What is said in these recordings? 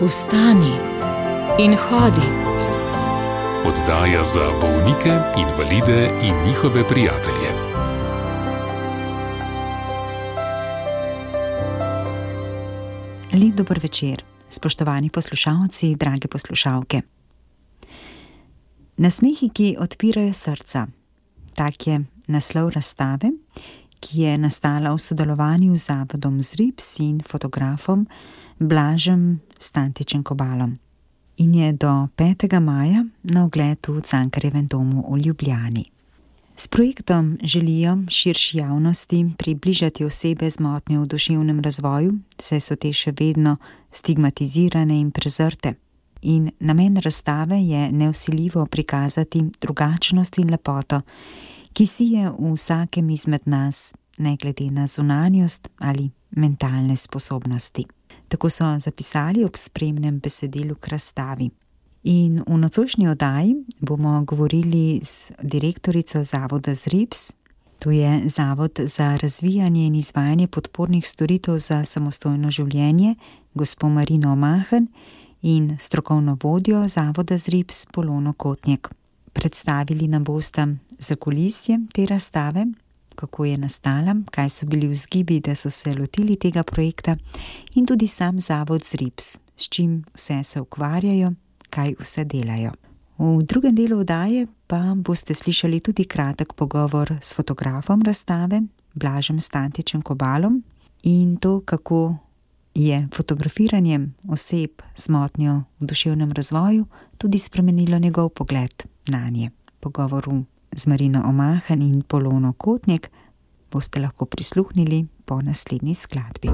Vstani in hodi. Oddaja za bolnike, invalide in njihove prijatelje. Lep dober večer, spoštovani poslušalci, drage poslušalke. Nasmehi, ki odpirajo srca. Tak je naslov razstave, ki je nastala v sodelovanju z Zavodom ZRIPS in fotografom Blažem Stantičem Kobalom in je do 5. maja na ogled v Cankarjevem domu v Ljubljani. S projektom želijo širši javnosti približati osebe z motnjo v duševnem razvoju, saj so te še vedno stigmatizirane in prezrte. In namen razstave je nevsiljivo prikazati drugačnost in lepoto, ki si je v vsakem izmed nas, ne glede na zunanjost ali mentalne sposobnosti. Tako so zapisali ob spremnem besedilu k razstavi. In v nocojšnji oddaji bomo govorili z direktorico Zavoda ZRIPS, to je Zavod za razvijanje in izvajanje podpornih storitev za samostojno življenje, gospo Marino Omahen, in strokovno vodjo Zavoda ZRIPS Polono Kotnik. Predstavili nam bosta zakulisje te razstave, kako je nastala, kaj so bili vzgibi, da so se lotili tega projekta, in tudi sam Zavod ZRIPS, s čim vse se ukvarjajo, kaj vse delajo. V drugem delu oddaje pa boste slišali tudi kratek pogovor s fotografom razstave, Blažem Stantičem Kobalom, in to, kako je fotografiranje oseb z motnjo v duševnem razvoju tudi spremenilo njegov pogled nanje. Pogovoru z Marino Omahen in Polono Kotnik boste lahko prisluhnili po naslednji skladbi.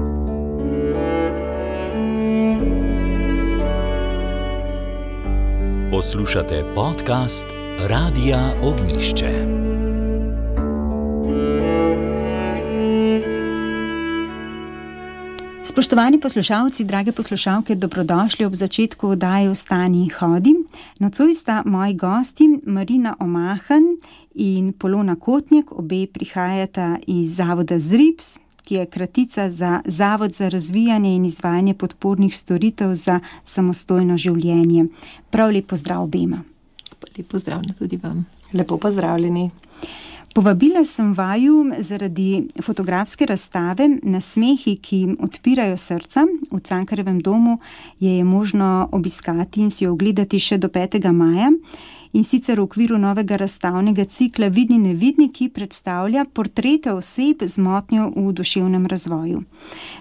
Poslušate podcast Radia Ognjišče. Spoštovani poslušalci, drage poslušalke, dobrodošli ob začetku oddaje Vstani in hodi. Nocoj sta moji gosti Marina Omahen in Polona Kotnik, obe prihajata iz Zavoda ZRIPS, ki je kratica za Zavod za razvijanje in izvajanje podpornih storitev za samostojno življenje. Prav lep pozdrav obema. Lep pozdrav tudi vam. Lepo pozdravljeni. Povabila sem vaju zaradi fotografske razstave Nasmehi, ki odpirajo srca. V Cankarjevem domu je možno obiskati in si jo ogledati še do 5. maja. In sicer v okviru novega razstavnega cikla Vidni nevidni, ki predstavlja portrete oseb z motnjo v duševnem razvoju.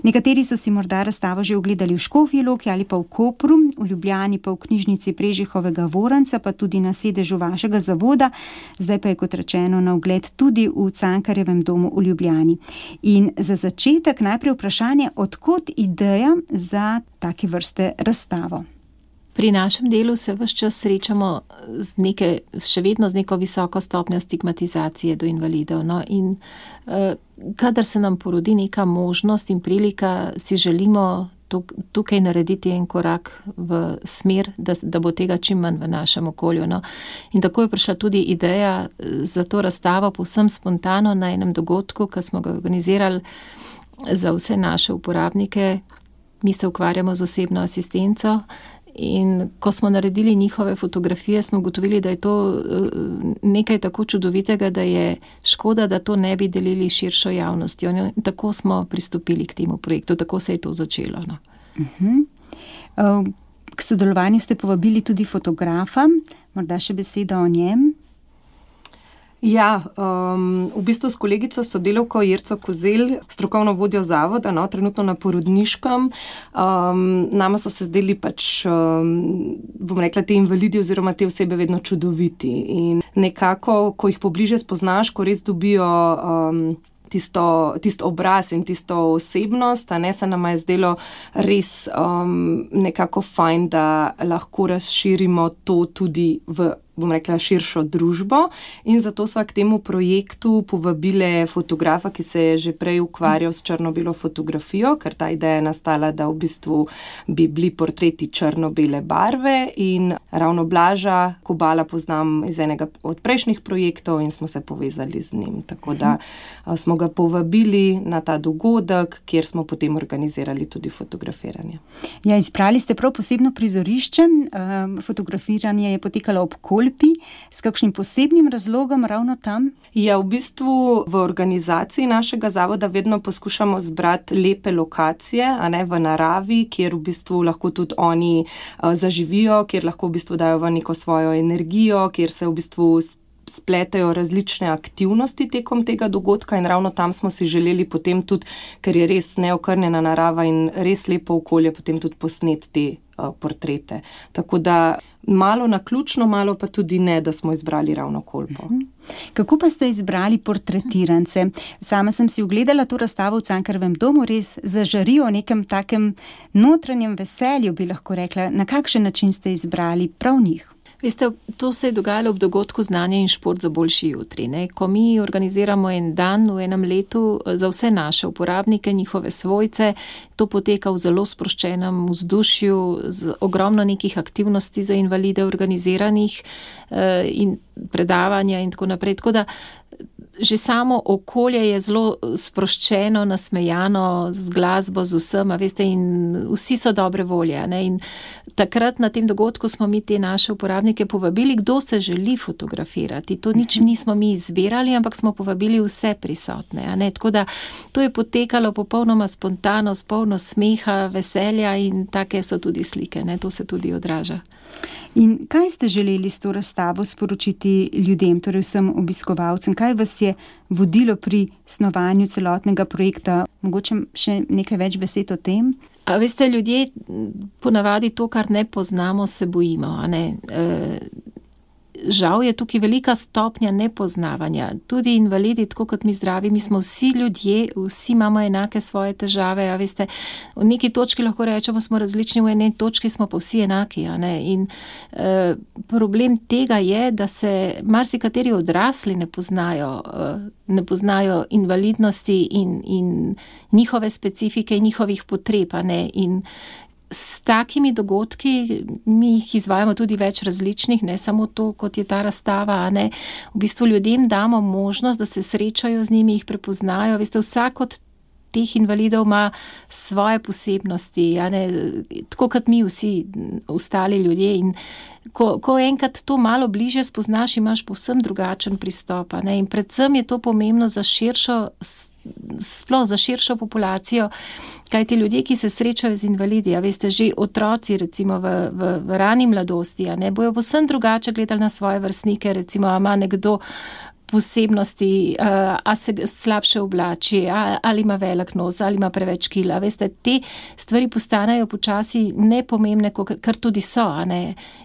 Nekateri so si morda razstavo že ogledali v Škofji Loki ali pa v Kopru, v Ljubljani pa v knjižnici Prežihovega Voranca, pa tudi na sedežu vašega zavoda, zdaj pa je, kot rečeno, na ogled tudi v Cankarjevem domu v Ljubljani. In za začetek najprej vprašanje, od kod ideja za take vrste razstavo? Pri našem delu se ves čas srečamo še vedno z neko visoko stopnjo stigmatizacije do invalidov. No? In kadar se nam porodi neka možnost in prilika, si želimo tukaj narediti en korak v smer, da bo tega čim manj v našem okolju. No? In tako je prišla tudi ideja za to razstavo povsem spontano na enem dogodku, ki smo ga organizirali za vse naše uporabnike. Mi se ukvarjamo z osebno asistenco. In ko smo naredili njihove fotografije, smo ugotovili, da je to nekaj tako čudovitega, da je škoda, da to ne bi delili širšo javnostjo. In tako smo pristopili k temu projektu, tako se je to začelo. No. K sodelovanju ste povabili tudi fotografa, morda še beseda o njem. Ja, v bistvu s kolegico sodelavko Jerco Kozelj, strokovno vodjo zavoda, trenutno na porodniškem. Nama so se zdeli bom rekla, te invalidi oziroma te osebe vedno čudoviti. In nekako, ko jih pobliže spoznaš, ko res dobijo tisto obraz in tisto osebnost, se nama je zdelo res nekako fajn, da lahko razširimo to tudi v bom rekla, širšo družbo in zato sva k temu projektu povabile fotografa, ki se je že prej ukvarjal s črno-belo fotografijo, ker ta ideja je nastala, da v bistvu bi bili portreti črno-bele barve in ravno Blaža Kobala poznam iz enega od prejšnjih projektov in smo se povezali z njim. Tako da smo ga povabili na ta dogodek, kjer smo potem organizirali tudi fotografiranje. Ja, izbrali ste prav posebno prizorišče. Fotografiranje je potekalo ob Kolpi. S kakšnim posebnim razlogom ravno tam? Ja, v bistvu v organizaciji našega zavoda vedno poskušamo zbrati lepe lokacije, a ne v naravi, kjer v bistvu lahko tudi oni zaživijo, kjer lahko v bistvu dajo v neko svojo energijo, kjer se v bistvu spletajo različne aktivnosti tekom tega dogodka in ravno tam smo si želeli potem tudi, ker je res neokrnjena narava in res lepo okolje, potem tudi posneti te portrete. Tako da malo naključno, malo pa tudi ne, da smo izbrali ravno Kolpo. Kako pa ste izbrali portretirance? Sama sem si ogledala to razstavo v Cankarjevem domu, res zažarijo o nekem takem notranjem veselju, bi lahko rekla. Na kakšen način ste izbrali prav njih? Veste, to se je dogajalo ob dogodku Znanje in šport za boljši jutri. Ko mi organiziramo en dan v enem letu za vse naše uporabnike, njihove svojce, to poteka v zelo sproščenem vzdušju, z ogromno nekih aktivnosti za invalide organiziranih in predavanja in tako naprej. Tako da že samo okolje je zelo sproščeno, nasmejano, z glasbo, z vsem, veste, in vsi so dobre volje. In takrat na tem dogodku smo mi te naše uporabnike povabili, kdo se želi fotografirati. To nič nismo mi izbirali, ampak smo povabili vse prisotne. Tako da to je potekalo popolnoma spontano, s polno smeha, veselja in take so tudi slike. To se tudi odraža. In kaj ste želeli s to razstavo sporočiti ljudem, torej vsem obiskovalcem? Kaj vas je vodilo pri snovanju celotnega projekta? Mogoče še nekaj več besed o tem? A veste, ljudje ponavadi to, kar ne poznamo, se bojimo. Žal je tukaj velika stopnja nepoznavanja. Tudi invalidi, tako kot mi zdravi, mi smo vsi ljudje, vsi imamo enake svoje težave. Veste, v neki točki lahko rečemo, smo različni, v eni točki smo pa vsi enaki. In problem tega je, da se marsikateri odrasli ne poznajo invalidnosti in njihove specifike in njihovih potreb. In s takimi dogodki, mi jih izvajamo tudi več različnih, ne samo to, kot je ta razstava, v bistvu ljudem damo možnost, da se srečajo z njimi, jih prepoznajo. Veste, vsak od teh invalidov ima svoje posebnosti, tako kot mi vsi ostali ljudje. In ko enkrat to malo bliže spoznaš, imaš povsem drugačen pristop. In predvsem je to pomembno za širšo populacijo, kajti ljudje, ki se srečajo z invalidi, veste, že otroci recimo v rani mladosti, bojo povsem drugače gledali na svoje vrstnike, recimo, ima nekdo posebnosti, a se slabše oblači, ali ima velik nos, ali ima preveč kila. Veste, te stvari postanejo počasi nepomembne, kar tudi so,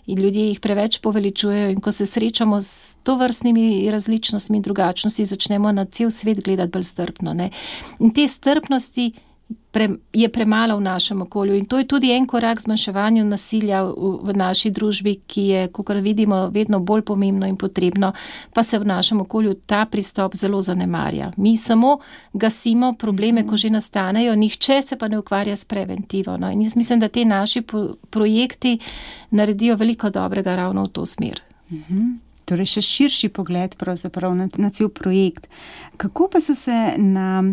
in ljudje jih preveč poveličujejo in ko se srečamo s tovrstnimi različnostmi in drugačnosti, začnemo na cel svet gledati bolj strpno. In te strpnosti je premalo v našem okolju in to je tudi en korak zmanjševanju nasilja v naši družbi, ki je, kakor vidimo, vedno bolj pomembno in potrebno, pa se v našem okolju ta pristop zelo zanemarja. Mi samo gasimo probleme, ko že nastanejo, nihče se pa ne ukvarja s preventivo. In jaz mislim, da te naši projekti naredijo veliko dobrega ravno v to smer. Torej še širši pogled pravzaprav na cel projekt. Kako pa so se na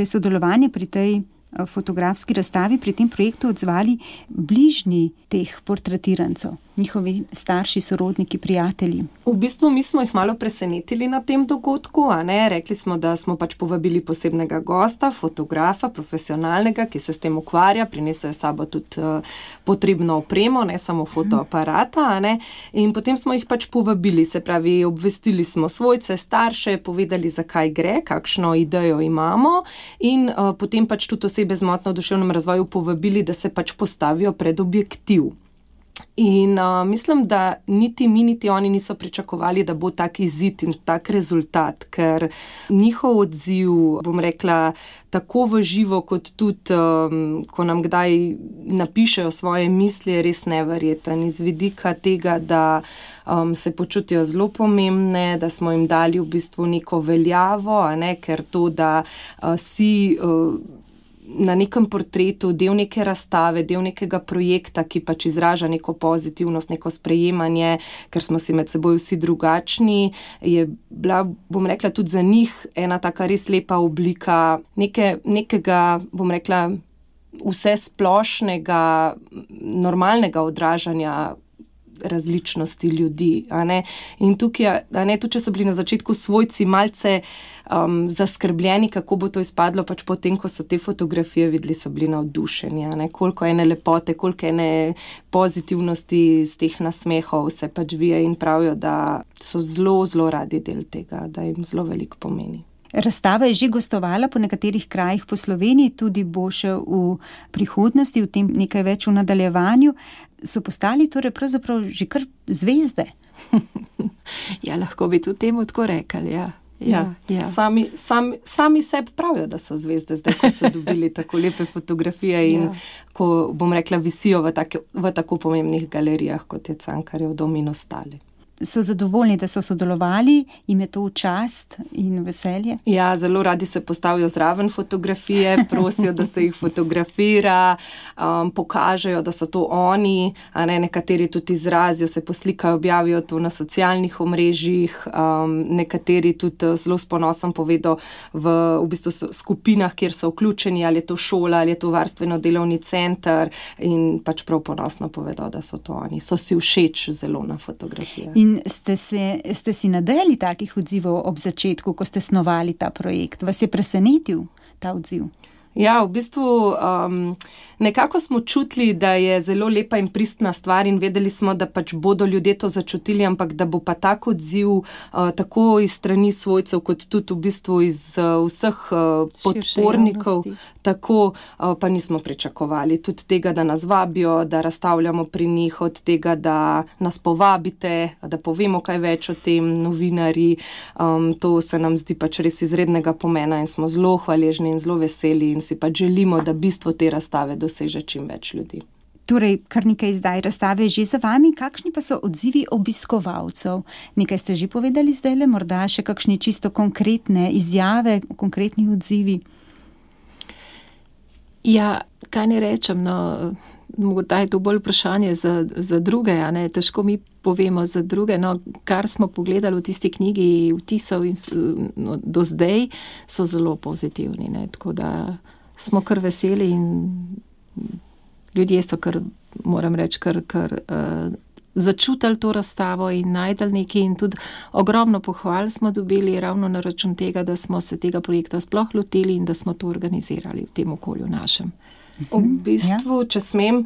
sodelovanje pri tej fotografski razstavi, pri tem projektu odzvali bližnji teh portretirancev, njihovi starši, sorodniki, prijatelji? V bistvu mi smo jih malo presenetili na tem dogodku, Rekli smo, da smo pač povabili posebnega gosta, fotografa, profesionalnega, ki se s tem ukvarja, prinesajo sabo tudi potrebno opremo, ne samo fotoaparata, In potem smo jih pač povabili, se pravi, obvestili smo svojce, starše, povedali, zakaj gre, kakšno idejo imamo in potem pač tudi osebe z motnjo v duševnem razvoju povabili, da se pač postavijo pred objektiv. In mislim, da niti mi, niti oni niso pričakovali, da bo tak izid in tak rezultat, ker njihov odziv, bom rekla, tako v živo, kot tudi, ko nam kdaj napišejo svoje misli, je res neverjeten. Iz vidika tega, da se počutijo zelo pomembne, da smo jim dali v bistvu neko veljavo, ker to, da si na nekem portretu del neke razstave, del nekega projekta, ki pač izraža neko pozitivnost, neko sprejemanje, ker smo si med seboj vsi drugačni, je bila, bom rekla, tudi za njih ena taka res lepa oblika nekega, bom rekla, vse splošnega, normalnega odražanja različnosti ljudi. In tukaj, tudi če so bili na začetku svojci malce zaskrbljeni, kako bo to izpadlo, pač potem, ko so te fotografije videli, so bili navdušeni. Koliko ene lepote, koliko ene pozitivnosti iz teh nasmehov se pač vije in pravijo, da so zelo, zelo radi del tega, da jim zelo veliko pomeni. Razstava je že gostovala po nekaterih krajih po Sloveniji, tudi bo še v prihodnosti, v tem nekaj več v nadaljevanju. So postali torej pravzaprav že kar zvezde? Ja, lahko bi tudi temu tako rekli, ja. Ja. Sami sebi pravijo, da so zvezde, zdaj, ko so dobili tako lepe fotografije in ko, bom rekla, visijo v tako pomembnih galerijah, kot je Cankarjev dom in ostali. So zadovoljni, da so sodelovali, jim je to v čast in veselje? Ja, zelo radi se postavijo zraven fotografije, prosijo, da se jih fotografira, pokažejo, da so to oni, nekateri tudi izrazijo, se poslikajo, objavijo to na socialnih omrežjih, nekateri tudi zelo s ponosom povedo v bistvu skupinah, kjer so vključeni, ali je to šola, ali je to varstveno-delovni center in pač prav ponosno povedo, da so to oni. So si všeč zelo na fotografijah. In ste si nadejali takih odzivov ob začetku, ko ste snovali ta projekt? Vas je presenetil ta odziv? Ja, v bistvu nekako smo čutili, da je zelo lepa in pristna stvar in vedeli smo, da pač bodo ljudje to začutili, ampak da bo pa tak odziv tako iz strani svojcev, kot tudi v bistvu iz vseh podpornikov, tako pa nismo pričakovali. Tudi tega, da nas vabijo, da razstavljamo pri njih, od tega, da nas povabite, da povemo kaj več o tem, novinarji. To se nam zdi pač res izrednega pomena in smo zelo hvaležni in zelo veseli in si pa želimo, da bistvo te razstave doseže čim več ljudi. Torej, kar nekaj zdaj razstave že za vami, kakšni pa so odzivi obiskovalcev? Nekaj ste že povedali zdajle, morda še kakšni čisto konkretne izjave, konkretni odzivi? Ja, kaj ne rečem, morda je to bolj vprašanje za druge, težko mi povemo za druge, kar smo pogledali v tisti knjigi vtisov do zdaj, so zelo pozitivni, tako da smo kar veseli in ljudje so kar, moram reči, kar začutili to razstavo in najdeli nekaj in tudi ogromno pohval smo dobili ravno na račun tega, da smo se tega projekta sploh lotili in da smo to organizirali v tem okolju našem. V bistvu, če smem,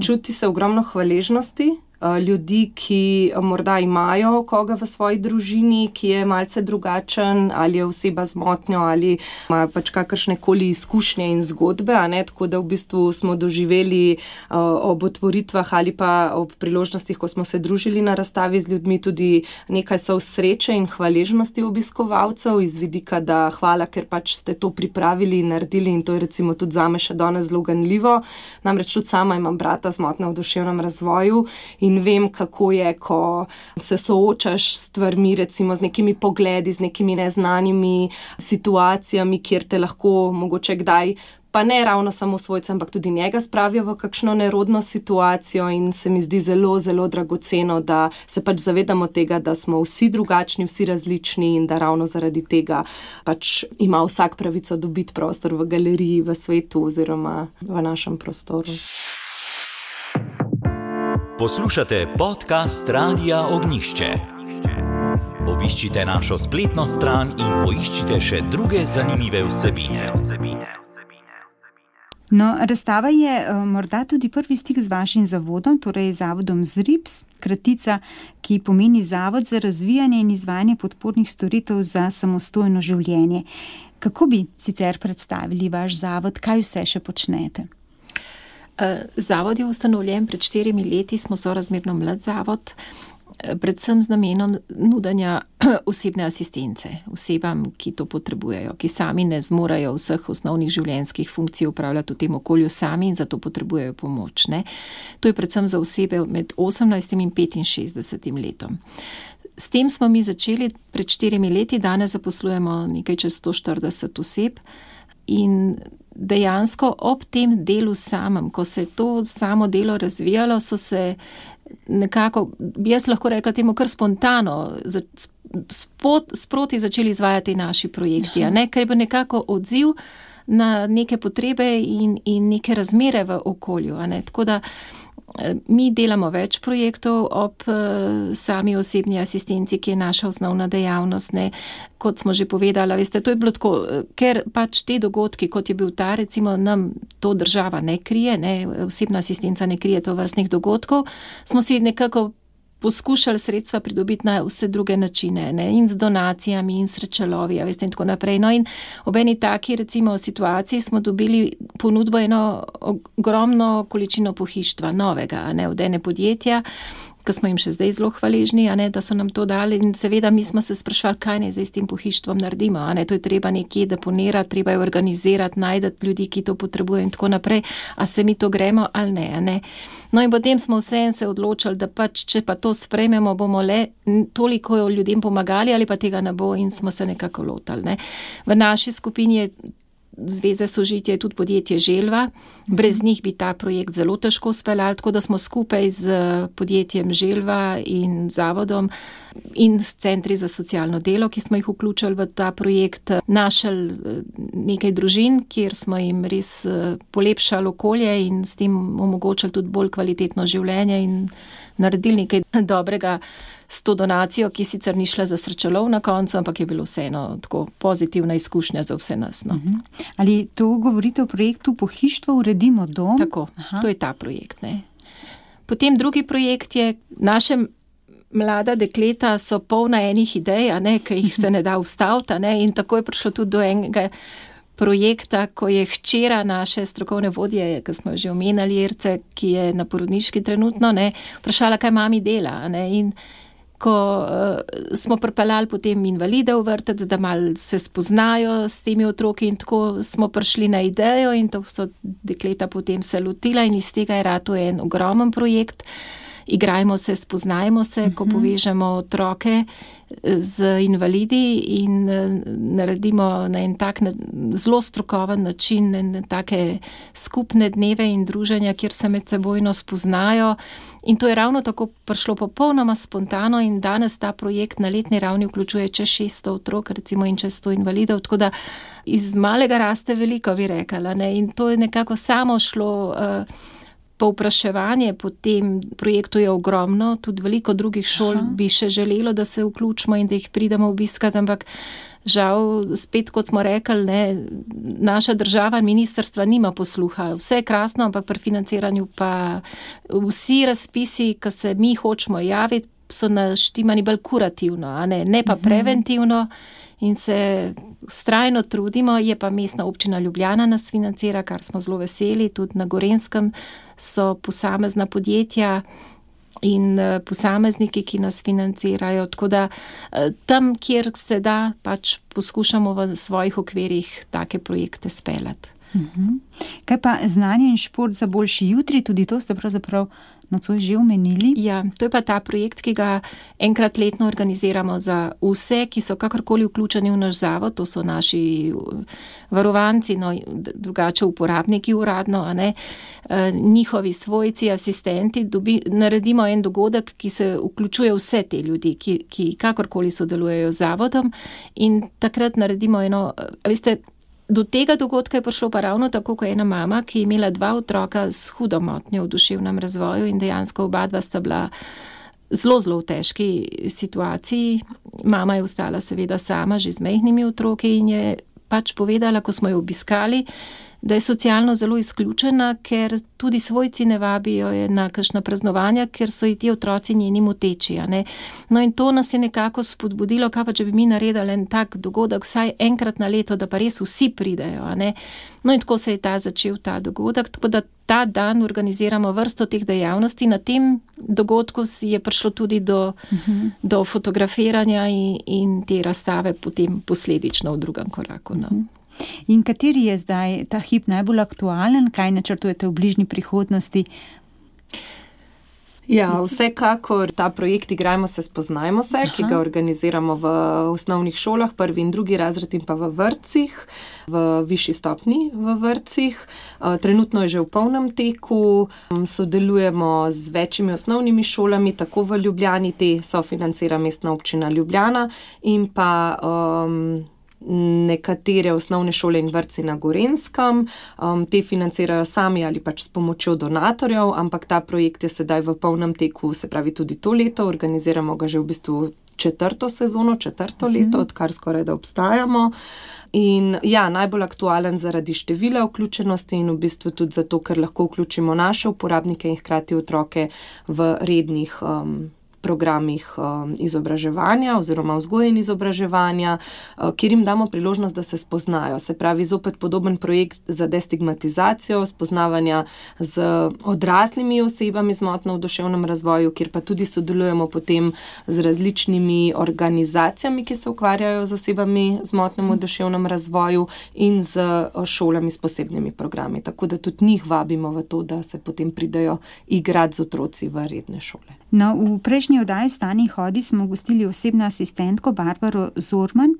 čuti se ogromno hvaležnosti ljudi, ki morda imajo koga v svoji družini, ki je malce drugačen, ali je oseba z motnjo, ali imajo pač kakršnekoli izkušnje in zgodbe, tako da v bistvu smo doživeli ob otvoritvah ali pa ob priložnostih, ko smo se družili na razstavi z ljudmi, tudi nekaj so sreče in hvaležnosti obiskovalcev iz vidika, da hvala, ker pač ste to pripravili in naredili in to je recimo tudi zame še danes zelo ganljivo. Namreč tudi sama imam brata z motnjo v duševnem razvoju in vem, kako je, ko se soočaš s stvarmi, recimo z nekimi pogledi, z nekimi neznanimi situacijami, kjer te lahko mogoče kdaj, pa ne ravno samo svojce, ampak tudi njega spravijo v kakšno nerodno situacijo in se mi zdi zelo, zelo dragoceno, da se pač zavedamo tega, da smo vsi drugačni, vsi različni in da ravno zaradi tega pač ima vsak pravico dobiti prostor v galeriji, v svetu oziroma v našem prostoru. Poslušate podcast Radia Ognjišče. Obiščite našo spletno stran in poiščite še druge zanimive vsebine. Razstava je morda tudi prvi stik z vašim zavodom, torej zavodom ZRIPS, kratica, ki pomeni Zavod za razvijanje in izvajanje podpornih storitev za samostojno življenje. Kako bi sicer predstavili vaš zavod, kaj vse še počnete? Zavod je ustanovljen pred 4 leti, smo sorazmerno mlad zavod, predvsem z namenom nudenja osebne asistence osebam, ki to potrebujejo, ki sami ne zmorejo vseh osnovnih življenjskih funkcij upravljati v tem okolju sami in zato potrebujejo pomoč. Ne? To je predvsem za osebe med 18 in 65 letom. S tem smo mi začeli pred 4 leti, danes zaposlujemo nekaj čez 140 oseb in dejansko ob tem delu samem, ko se je to samo delo razvijalo, so se nekako, jaz lahko rekla temu kar spontano, sproti začeli izvajati naši projekti, ker je bil nekako odziv na neke potrebe in neke razmere v okolju. Tako da mi delamo več projektov ob sami osebni asistenci, ki je naša osnovna dejavnost. Kot smo že povedala, veste, to je bilo tako, ker pač te dogodki, kot je bil ta, recimo nam to država ne krije, osebna asistenca ne krije to vrstnih dogodkov, smo si nekako poskušali sredstva pridobiti na vse druge načine, in z donacijami, in srečalovi, veste, in tako naprej. No, in ob eni taki, recimo, situaciji smo dobili ponudbo eno ogromno količino pohištva, novega, od ene podjetja, ki smo jim še zdaj zelo hvaležni, da so nam to dali in seveda mi smo se sprašvali, kaj naj zdaj s tem pohištvom naredimo, to je treba nekje deponirati, treba je organizirati, najdati ljudi, ki to potrebujejo in tako naprej, a se mi to gremo ali ne. No in potem smo vseeno se odločili, da pač, če pa to sprejmemo, bomo le toliko ljudem pomagali ali pa tega ne bo in smo se nekako lotali. V naši skupini je Zveze Sožitje je tudi podjetje Želva. Brez njih bi ta projekt zelo težko speljali, tako da smo skupaj z podjetjem Želva in zavodom in s centri za socialno delo, ki smo jih vključili v ta projekt, našli nekaj družin, kjer smo jim res polepšali okolje in s tem omogočili tudi bolj kvalitetno življenje in naredili nekaj dobrega s to donacijo, ki sicer ni šla za srečalov na koncu, ampak je bilo vseeno tako pozitivna izkušnja za vse nas. No. Ali to govorite o projektu Pohištvo uredimo dom? Tako, to je ta projekt. Potem drugi projekt je, naše mlada dekleta so polna enih idej, ki jih se ne da ustaviti, in tako je prišlo tudi do enega projekta, ko je hčera naše strokovne vodje, ki smo jo že omenjali, Jerce, ki je na porodniški trenutno, vprašala, kaj mami dela, in ko smo pripeljali potem invalide v vrtec, da malo se spoznajo s temi otroki in tako smo prišli na idejo in to so dekleta potem se lotila in iz tega je rato en ogromen projekt. Igrajmo se, spoznajmo se, ko povežemo otroke z invalidi in naredimo na en tak zelo strokoven način take skupne dneve in druženja, kjer se med sebojno spoznajo. In to je ravno tako prišlo popolnoma spontano in danes ta projekt na letni ravni vključuje čez 600 otrok, recimo in čez 100 invalidov, tako da iz malega raste veliko, bi rekala. In to je nekako samo šlo. Povpraševanje po tem projektu je ogromno, tudi veliko drugih šol bi še želelo, da se vključimo in da jih pridemo obiskati, ampak žal, spet kot smo rekli, naša država in ministrstva nima posluha. Vse je krasno, ampak pri financiranju pa vsi razpisi, ki se mi hočemo javiti, so naštimani bolj kurativno, ne pa preventivno. In se vztrajno trudimo, je pa Mestna občina Ljubljana nas financira, kar smo zelo veseli, tudi na Gorenjskem so posamezna podjetja in posamezniki, ki nas financirajo, tako da tam, kjer se da, pač poskušamo v svojih okvirih take projekte speljati. Kaj pa znanje in šport za boljši jutri, tudi to ste pravzaprav nocoj že omenili? Ja, to je pa ta projekt, ki ga enkrat letno organiziramo za vse, ki so kakorkoli vključeni v naš zavod, to so naši varovanci, drugače uporabniki uradno, njihovi svojci, asistenti, naredimo en dogodek, ki se vključuje vse te ljudi, ki kakorkoli sodelujejo z zavodom in takrat naredimo eno, veste, do tega dogodka je prišlo pa ravno tako, ko je ena mama, ki je imela 2 otroka s hudo motnjo v duševnem razvoju in dejansko oba sta bila zelo, zelo v težki situaciji. Mama je ostala seveda sama, že z majhnimi otroki in je pač povedala, ko smo jo obiskali, da je socialno zelo izključena, ker tudi svojci ne vabijo na kakšna praznovanja, ker so ji ti otroci njeni moteči. No in to nas je nekako spodbudilo, kaj pa če bi mi naredili en tak dogodek vsaj enkrat na leto, da pa res vsi pridejo. No in tako se je začel ta dogodek, tako da ta dan organiziramo vrsto teh dejavnosti. Na tem dogodku je prišlo tudi do fotografiranja in te razstave potem posledično v drugem koraku. In kateri je zdaj ta hip najbolj aktualen? Kaj načrtujete v bližnji prihodnosti? Ja, vsekakor ta projekt Igrajmo se, spoznajmo se, ki ga organiziramo v osnovnih šolah, 1. in 2. razred in pa v vrtcih, v višji stopnji v vrtcih. Trenutno je že v polnem teku, sodelujemo z večjimi osnovnimi šolami, tako v Ljubljani, te sofinancira Mestna občina Ljubljana, in pa nekatere osnovne šole in vrtci na Gorenjskem. Te financirajo sami ali pač s pomočjo donatorjev, ampak ta projekt je sedaj v polnem teku, se pravi tudi to leto, organiziramo ga že v bistvu 4. sezono, 4. leto, odkar skoraj da obstajamo. In ja, najbolj aktualen zaradi števila vključenosti in v bistvu tudi zato, ker lahko vključimo naše uporabnike in hkrati otroke v rednih programih izobraževanja oziroma vzgoje in izobraževanja, kjer jim damo priložnost, da se spoznajo. Se pravi, zopet podoben projekt za destigmatizacijo, spoznavanja z odraslimi osebami z motnjo v duševnem razvoju, kjer pa tudi sodelujemo potem z različnimi organizacijami, ki se ukvarjajo z osebami z motnjo v duševnem razvoju in z šolami s posebnimi programi. Tako da tudi njih vabimo v to, da se potem pridejo igrati z otroci v redne šole. No, v prejšnji oddaji Vstani in hodi smo gostili osebno asistentko Barbaro Zorman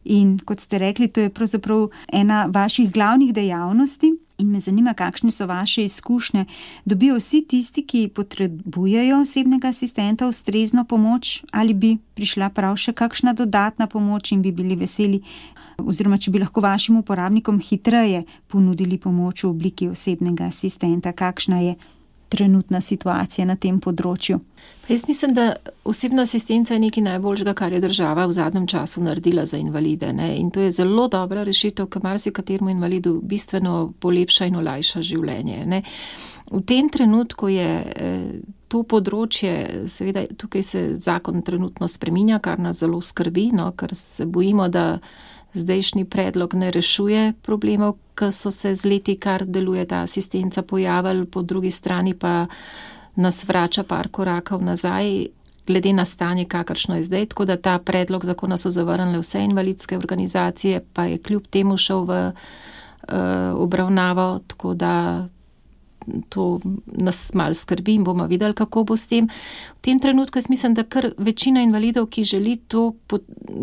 in kot ste rekli, to je pravzaprav ena vaših glavnih dejavnosti in me zanima, kakšne so vaše izkušnje. Dobijo vsi tisti, ki potrebujejo osebnega asistenta, ustrezno pomoč, ali bi prišla prav še kakšna dodatna pomoč in bi bili veseli, oziroma če bi lahko vašim uporabnikom hitreje ponudili pomoč v obliki osebnega asistenta? Kakšna je trenutna situacija na tem področju? Jaz mislim, da osebna asistenca je nekaj najboljšega, kar je država v zadnjem času naredila za invalide. In to je zelo dobra rešitev, ki marsikateremu invalidu bistveno polepša in olajša življenje. V tem trenutku je to področje, seveda tukaj se zakon trenutno spreminja, kar nas zelo skrbi, ker se bojimo, da zdajšnji predlog ne rešuje problemov, ki so se z leti, kar deluje ta asistenca, pojavili, po drugi strani pa nas vrača par korakov nazaj, glede na stanje, kakršno je zdaj. Tako da ta predlog zakona so zavrnile vse invalidske organizacije, pa je kljub temu šel v obravnavo, tako da to nas malo skrbi in bomo videli, kako bo s tem. V tem trenutku jaz mislim, da kar večina invalidov, ki želi to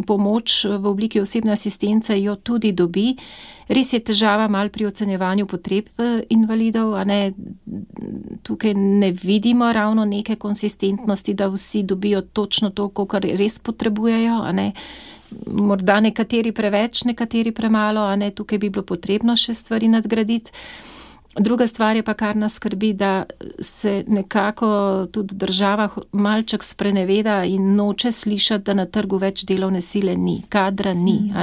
pomoč v obliki osebne asistence, jo tudi dobi. Res je težava malo pri ocenjevanju potreb invalidov, tukaj ne vidimo ravno neke konsistentnosti, da vsi dobijo točno to, kar res potrebujejo, Morda nekateri preveč, nekateri premalo, tukaj bi bilo potrebno še stvari nadgraditi. Druga stvar je pa, kar nas skrbi, da se nekako tudi država malček spreneveda in noče slišati, da na trgu več delovne sile ni, kadra ni.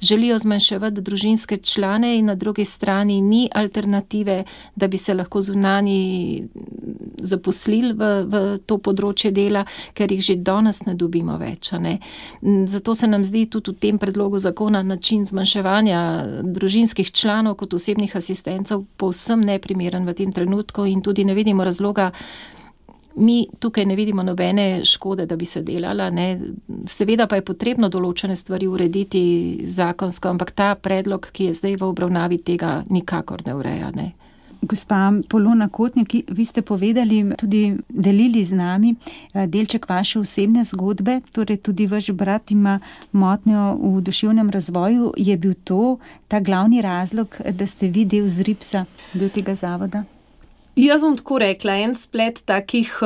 Želijo zmanjševati družinske člane in na drugi strani ni alternative, da bi se lahko zunanji zaposlili v to področje dela, ker jih že danes ne dobimo več. Zato se nam zdi tudi v tem predlogu zakona način zmanjševanja družinskih članov kot osebnih asistentov povsem neprimeren v tem trenutku in tudi ne vidimo razloga, mi tukaj ne vidimo nobene škode, da bi se delala. Seveda pa je potrebno določene stvari urediti zakonsko, ampak ta predlog, ki je zdaj v obravnavi, tega nikakor ne ureja. Gospa Polona Kotnik, vi ste povedali, tudi delili z nami delček vaše osebne zgodbe, torej tudi vaš brat ima motnjo v duševnem razvoju. Je bil to ta glavni razlog, da ste vi del ZRIPS-a, del tega zavoda? Jaz bom tako rekla, en splet takih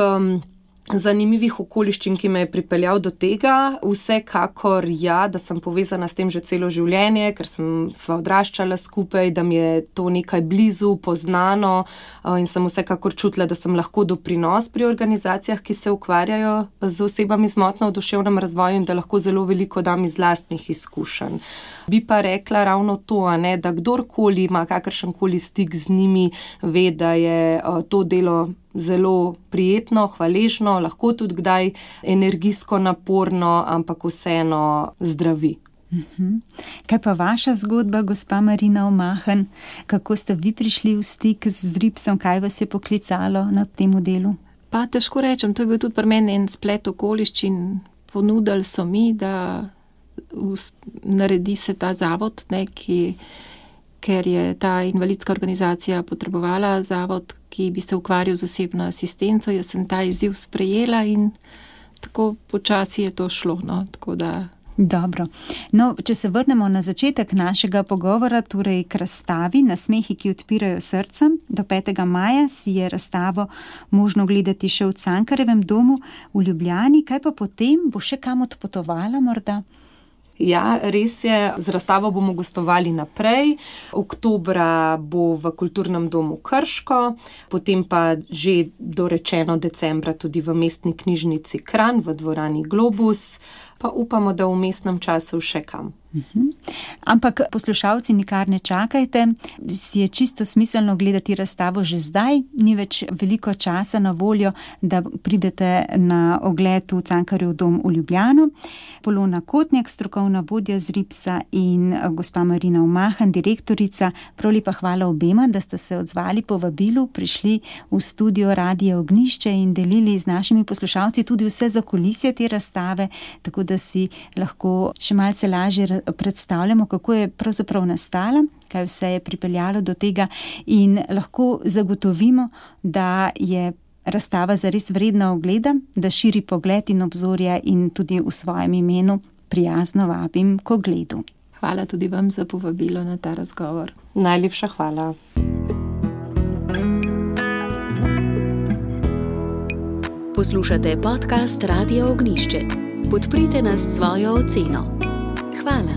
zanimivih okoliščin, ki me je pripeljal do tega. Vsekakor da sem povezana s tem že celo življenje, ker sva odraščala skupaj, da mi je to nekaj blizu, poznano in sem vsekakor čutila, da sem lahko doprinos pri organizacijah, ki se ukvarjajo z osebami z motnjo v duševnem razvoju in da lahko zelo veliko dam iz lastnih izkušenj. Bi pa rekla ravno to, da kdorkoli ima kakršenkoli stik z njimi, ve, da je to delo zelo prijetno, hvaležno, lahko tudi kdaj energijsko naporno, ampak vseeno zdravi. Kaj pa vaša zgodba, gospa Marina Omahen? Kako ste vi prišli v stik z RIPS-om? Kaj vas je poklicalo na tem delu? Pa težko rečem, to je bil tudi pri meni en splet okoliščin. Ponudili so mi, da naredi se ta zavod, ker je ta invalidska organizacija potrebovala zavod, ki bi se ukvarjal z osebno asistenco. Jaz sem ta izziv sprejela in tako počasi je to šlo. Tako da... Dobro. Če se vrnemo na začetek našega pogovora, torej k razstavi Nasmehi, ki odpirajo srca. Do 5. maja si je razstavo možno gledati še v Cankarjevem domu v Ljubljani. Kaj pa potem? Bo še kam odpotovala morda? Ja, res je, z razstavo bomo gostovali naprej. Oktobra bo v Kulturnem domu Krško, potem pa že dorečeno decembra tudi v Mestni knjižnici Kranj v dvorani Globus, pa upamo, da v vmesnem času še kam. Ampak poslušalci, nikar ne čakajte, si je čisto smiselno gledati razstavo že zdaj, ni več veliko časa na voljo, da pridete na ogled v Cankarjev dom v Ljubljano. Polona Kotnjak, strokovna vodja z RIPS-a in gospa Marina Omahen, direktorica, prav lepa hvala obema, da ste se odzvali po vabilu, prišli v studio Radia Ognjišče in delili z našimi poslušalci tudi vse zakulisje te razstave, tako da si lahko še malce lažje predstavljamo, kako je pravzaprav nastala, kaj vse je pripeljalo do tega in lahko zagotovimo, da je razstava zares vredna ogleda, da širi pogled in obzorja in tudi v svojem imenu prijazno vabim k ogledu. Hvala tudi vam za povabilo na ta razgovor. Najlepša hvala. Poslušate podcast Radia Ognjišče. Podprite nas s svojo oceno. Hvala.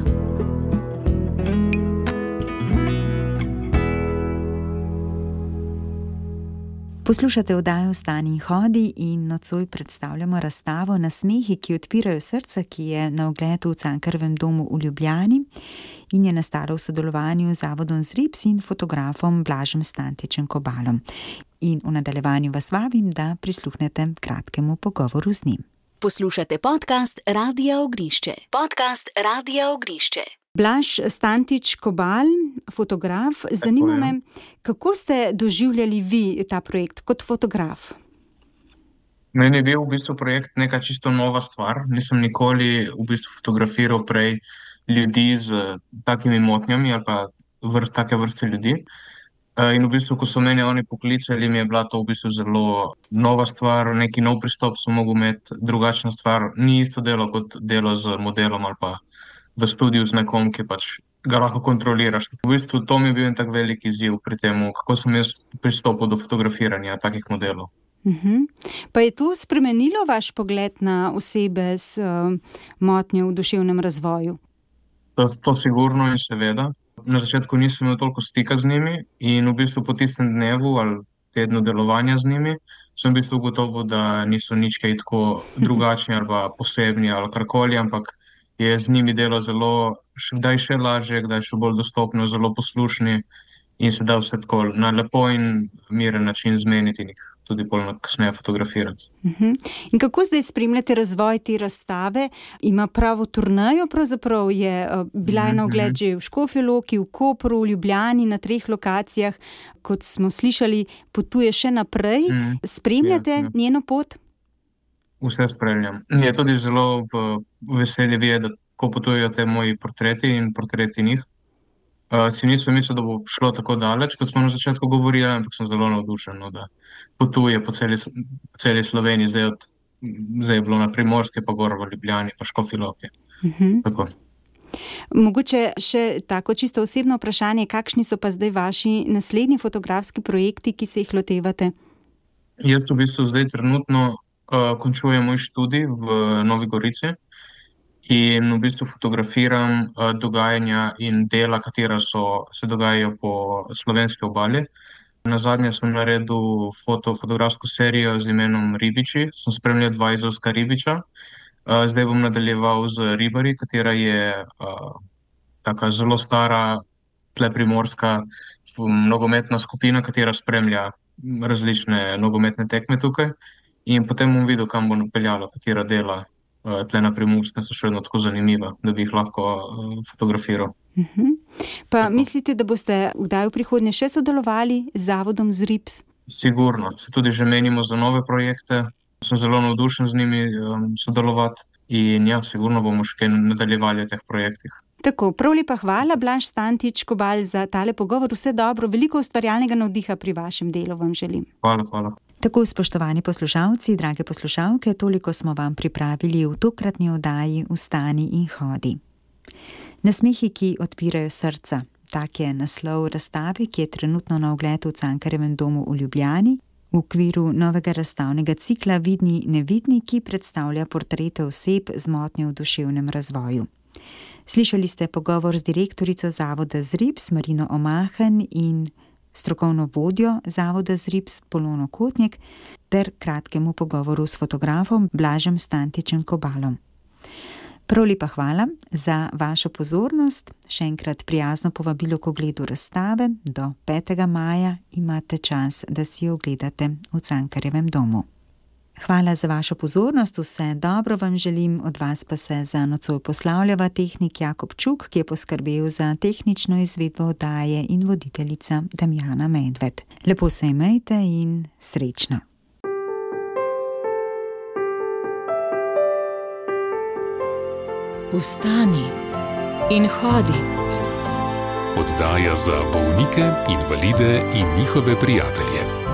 Poslušate oddajo Vstani in hodi in nocoj predstavljamo razstavo Nasmehi, ki odpirajo srca, ki je na ogledu v Cankarjevem domu v Ljubljani in je nastala v sodelovanju z zavodom ZRIPS in fotografom Blažem Stantičem Kobalom. In v nadaljevanju vas vabim, da prisluhnete kratkemu pogovoru z njim. Poslušate podcast Radia Ognjišče. Podcast Radia Ognjišče. Blaž Stantič Kobal, fotograf. Zanima me, kako ste doživljali vi ta projekt kot fotograf? Meni je bil v bistvu projekt neka čisto nova stvar. Nisem nikoli v bistvu fotografiral prej ljudi z takimi motnjami ali pa take vrste ljudi. In v bistvu, ko so mene oni poklicali, mi je bila to v bistvu zelo nova stvar, neki nov pristop sem mogel imeti, drugačna stvar. Ni isto delo kot delo z modelom ali pa v studiu z nekom, ki pač ga lahko kontroliraš. V bistvu to mi je bil en tak velik izziv pri tem, kako sem jaz pristopil do fotografiranja takih modelov. Pa je to spremenilo vaš pogled na osebe s motnjo v duševnem razvoju? To sigurno in seveda. Na začetku nisem imel toliko stika z njimi in v bistvu po tistem dnevu ali tednu delovanja z njimi sem v bistvu ugotovil, da niso nič kaj tako drugačni ali pa posebni ali karkoli, ampak je z njimi delo zelo, kdaj še lažje, kdaj še bolj dostopno, zelo poslušni in se da vse tako na lepo in miren način zmeniti in jih tudi bolj kasneje fotografirati. In kako zdaj spremljate razvoj te razstave? Ima pravo turnejo, pravzaprav je bila na ogled že v Škofji Loki, v Kopru, v Ljubljani, na 3 lokacijah. Kot smo slišali, potuje še naprej. Spremljate njeno pot? Vse spremljam. Je tudi zelo veselje videti, ko potujejo te moji portreti in portreti njih. Si nisem mislil, da bo šlo tako daleč, kot smo na začetku govorili, ampak sem zelo navdušen, da potuje po celi Sloveniji. Zdaj je bilo na Primorske, pa gor v Ljubljani, pa Škofji Loki. Tako. Mogoče še tako čisto osebno vprašanje, kakšni so pa zdaj vaši naslednji fotografski projekti, ki se jih lotevate? Jaz v bistvu zdaj trenutno končujem moj študij v Novi Gorici in v bistvu fotografiram dogajanja in dela, katera se dogajajo po slovenski obali. Nazadnje sem naredil fotografsko serijo z imenom Ribiči, sem spremljal 2 izolska ribiča. Zdaj bom nadaljeval z Ribari, katera je taka zelo stara, tle primorska nogometna skupina, katera spremlja različne nogometne tekme tukaj. In potem bom videl, kam bo napeljalo, katera dela tle na Primorskem so še vedno tako zanimiva, da bi jih lahko fotografiral. Pa mislite, da boste kdaj v prihodnje še sodelovali z Zavodom ZRIPS? Sigurno, se tudi že menimo za nove projekte. Sem zelo navdušen z njimi sodelovati in ja, sigurno bomo še kaj nadaljevali v teh projektih. Tako, prav lepa hvala, Blaž Stantič Kobal, za tale pogovor. Vse dobro, veliko ustvarjalnega navdiha pri vašem delu vam želim. Hvala. Tako, spoštovani poslušalci, drage poslušalke, toliko smo vam pripravili v tokratni oddaji Vstani in hodi. Nasmehi, ki odpirajo srca. Tak je naslov razstave, ki je trenutno na ogled v Cankarjevem domu v Ljubljani. V okviru novega razstavnega cikla Vidni nevidni, ki predstavlja portrete oseb z motnjo v duševnem razvoju. Slišali ste pogovor z direktorico Zavoda ZRIPS Marino Omahen in strokovno vodjo Zavoda ZRIPS Polono Kotnik ter kratkemu pogovoru s fotografom Blažem Stantičem Kobalom. Prav lepa hvala za vašo pozornost. Še enkrat prijazno povabilo k ogledu razstave. Do 5. maja imate čas, da si jo ogledate v Cankarjevem domu. Hvala za vašo pozornost, vse dobro vam želim, od vas pa se za nocoj poslavljava tehnik Jakob Čuk, ki je poskrbel za tehnično izvedbo oddaje, in voditeljica Damjana Medved. Lepo se imejte in srečno. Vstani in hodi. Oddaja za bolnike, invalide in njihove prijatelje.